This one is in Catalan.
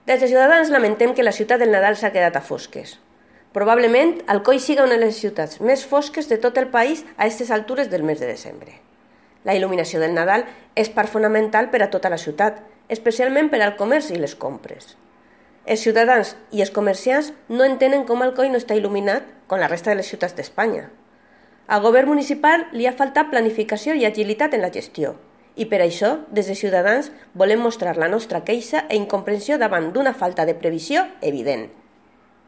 Des de Ciutadans lamentem que la ciutat del Nadal s'ha quedat a fosques. Probablement Alcoi siga una de les ciutats més fosques de tot el país a aquestes altures del mes de desembre. La il·luminació del Nadal és part fonamental per a tota la ciutat, especialment per al comerç i les compres. Els ciutadans i els comerciants no entenen com Alcoi no està il·luminat com la resta de les ciutats d'Espanya. Al govern municipal li ha faltat planificació i agilitat en la gestió, i per això, des de Ciutadans, volem mostrar la nostra queixa i incomprensió davant d'una falta de previsió evident.